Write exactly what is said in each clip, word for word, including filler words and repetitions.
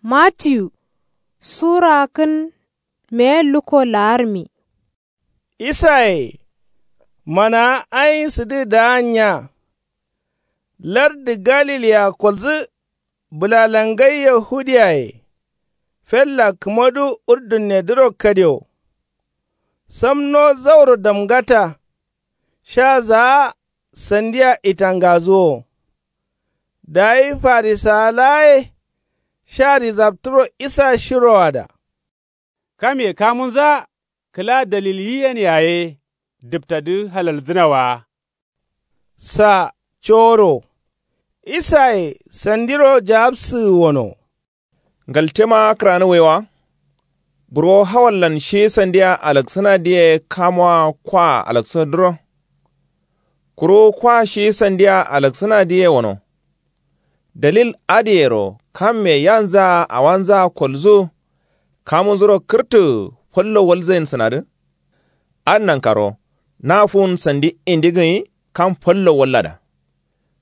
Matiyu sura kǝn meye lukko laarmi. Isaye manawa ayin sǝdǝ daanya. Lardǝ galilea kolzǝ bǝlalangai yahudiyaye fella kǝmadu urdunnedǝro kadio. Samno zauro damgata sha zaa sandiya itangazuwo. Dayi farisawa laa ye sha rizabtǝro isa shiroada. Kamye kamunzaa kǝla dalil yiyen yaye dǝptadǝ halalzǝna wa. Sa coro isaye sandiro jawabsǝgǝ wono. Ngaltema kǝranǝ waiwa. Buro hawallan shi sandiya alaksǝnadǝye kamuwa kwa alaksǝnadǝro. Kuru kwa shi sandiya alaksǝnadǝye wono. Dalil adǝyero kamme yanzaa awanzaa kolzu kamunzuro kǝrtǝ fallo walzain sǝnadǝ. Adǝ nankaro na fuwun sandi indi gǝnyi kam fallo wallada.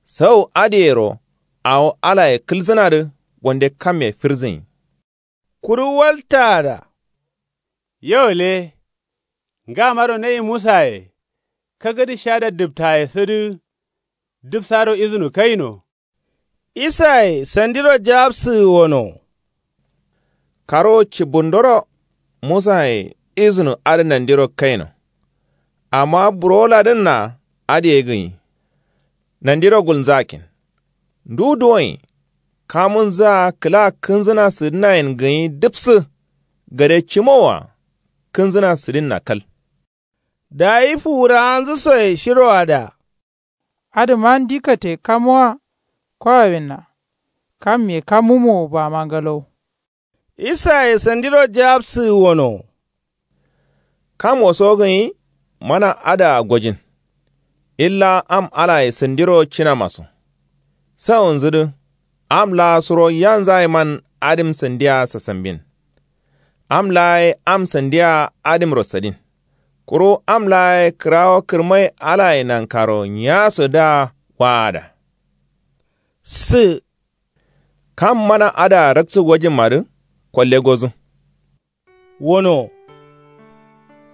Sau adǝyero awo alaye kǝlzǝnadǝ wande kamme firzǝnyi. Kuru waltaada. Yo le. Ngamaro nayi musaye kagǝdǝ shada dǝptaye sǝdǝ dǝpsaro izǝnu kaino. Isaye sandiro jawabsǝgǝ wono. Karo cibbundoro musaye izǝnu adǝ nandiro kaino. Amma burowoladǝnna adǝ ye gǝnyi. Nandiro gulnzakin. Ndu duwoin kamunzaa kǝla kǝnzǝna sǝdǝnayen gǝnyi dǝpsǝ gade cimowa. Kǝnzǝna sǝdinna kal. Dayi fuwurawanzǝ soye shiroada. Adǝma ndi kate kamuwa kwawawinna. Kamye kamumo bama ngalaw. Isaye sandiro jawabsǝgǝ wono. Kam woso gǝnyi mana adǝa gojin. Illa am alaye sandiro cinamaso. Sawunzǝdǝ am laa suro yanzayeman adǝm sandiya sasambin. Am laa ye am sandiya adǝmro sadin. Kuru am laa ye kǝrawo kǝrmai alaye nankaro nyaso dǝa waada. Sǝ. Kam mana adǝa raksǝ gojimmadǝ kolle gozǝ. Wono.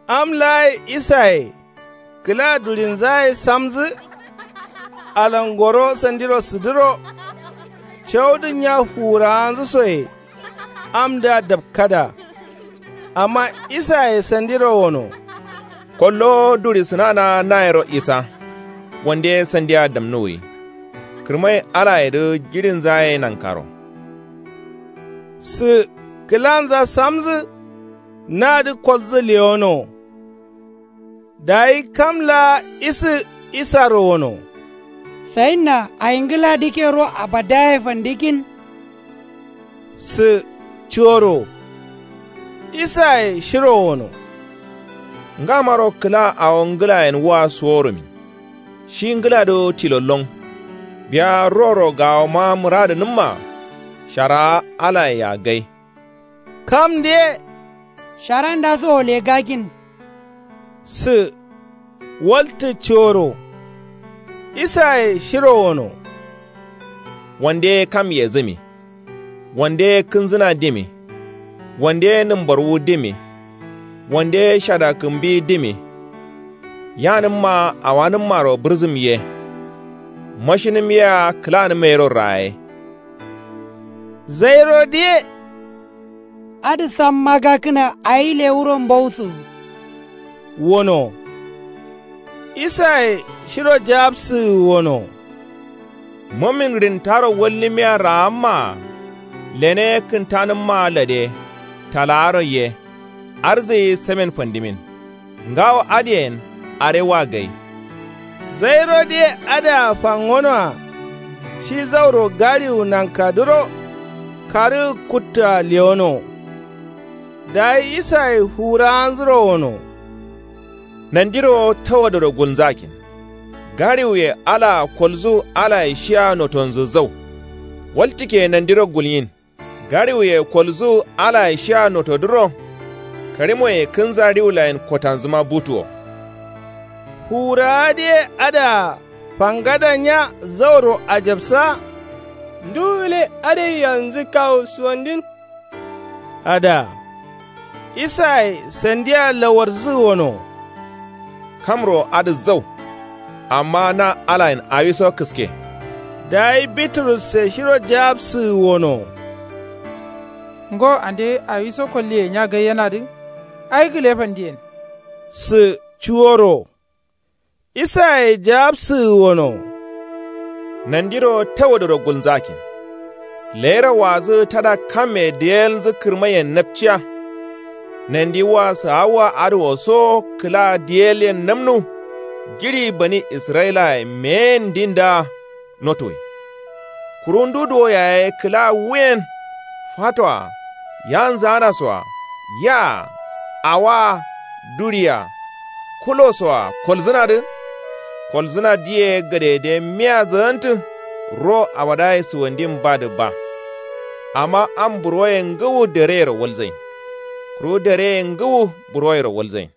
Am laa ye isaye kǝla durinzaye samzǝ. Alangoro sandiro sǝdǝro. Caudǝ nya fuwurawanzǝ soye. Amdǝa dapkada. Amma isaye sandiro wono. Kollo duri sǝnana nayero isa. Wande sandiya damnuwwi. Kǝrmai alayedǝ jiɍinza ye nankaro. Sǝ kǝlanza samzǝ. Nadǝ kolzǝ lewono. Dayi kam laa isǝ isaro wono. Sayinna aingǝla dǝkero abadaye fandikin. Sǝ coro. Isaye shiro wono. Ngamaro kǝla awo ngǝlayen wua suworumin. Shi ngǝladǝ tilollon. Biya ruworo gawoma mǝradǝnǝmma. Sharawa alayea gai. Kam ndiye. Sharandaso legakin. Sǝ waltǝ coro. Isaye shiro wono. Wande kam yezǝmi. Wande kǝnzǝna dimi. Wande nǝmbarwu dimi. Wande shadakǝmbi dimi. Yanǝmma awanǝmmaro bǝrzǝm ye. Mashinǝm yea kǝlanǝm yero raye. Zairo diye. Adǝ samma gakǝna ayi lewuro mbausǝ. Wono. Isaye shiro jawabsǝgǝ wono. Mumin rintaro wallimiya raammaa. Lene kǝntanǝmmaa lade talaaro ye. Arzǝyi samen fandimin. Ngawo adǝyen are wa gai. Zairo diye adǝa fangonoa. Shi zauro gariwu nankadǝro. Karǝgǝ kuttoa lewono. Dayi isaye fuwurawanzuro wono. Nandiro tawadǝro gulnzakin. Gariwuye alaa kolzu alaye shiya notonzǝ zau. Waltǝke nandiro gulyin. Gariwuye kolzu alaye shiya notodǝro. Karimoye kǝnza riwulayen kotanzǝma butuwo. Fuwurawa diye adǝa fangada nya zauro ajabsa. Ndu gǝle adai yanzǝ kawu suwandin. Adǝa isaye sandiya lawarzǝgǝ wono. Kamro adǝ zau. Amma na alayen awiso kǝske. Dayi biturusse shiro jaapsǝgǝ wono. Ngo ande awiso kolliye nya gaiyenadǝ. Ai gǝle fandiyen. Sǝ cuworo. Isaye jaapsǝgǝ wono. Nandiro tawodoro gulnzakin. Leyiro wazǝ tada kamme diyelnzǝ kǝrmaiyen napciya. Nandi wa sǝ awoa adǝ wo so kǝla diyelyen namnu. Jiɍi bani israyilaye meyen ndindaa notuwi. Kuru ndu duwo yaye kǝla wuyen. Fatoa yanzǝ anasoa yaa awoa duɍi-a kulosoa kolzǝnadǝ. Kolzǝna diye gadegade miya zagantǝ. Ro abadaye suwandin badǝ ba. Amma am burwoye ngǝwu dereyero walzain. Kuru dereye ngǝwu burwoyero walzain.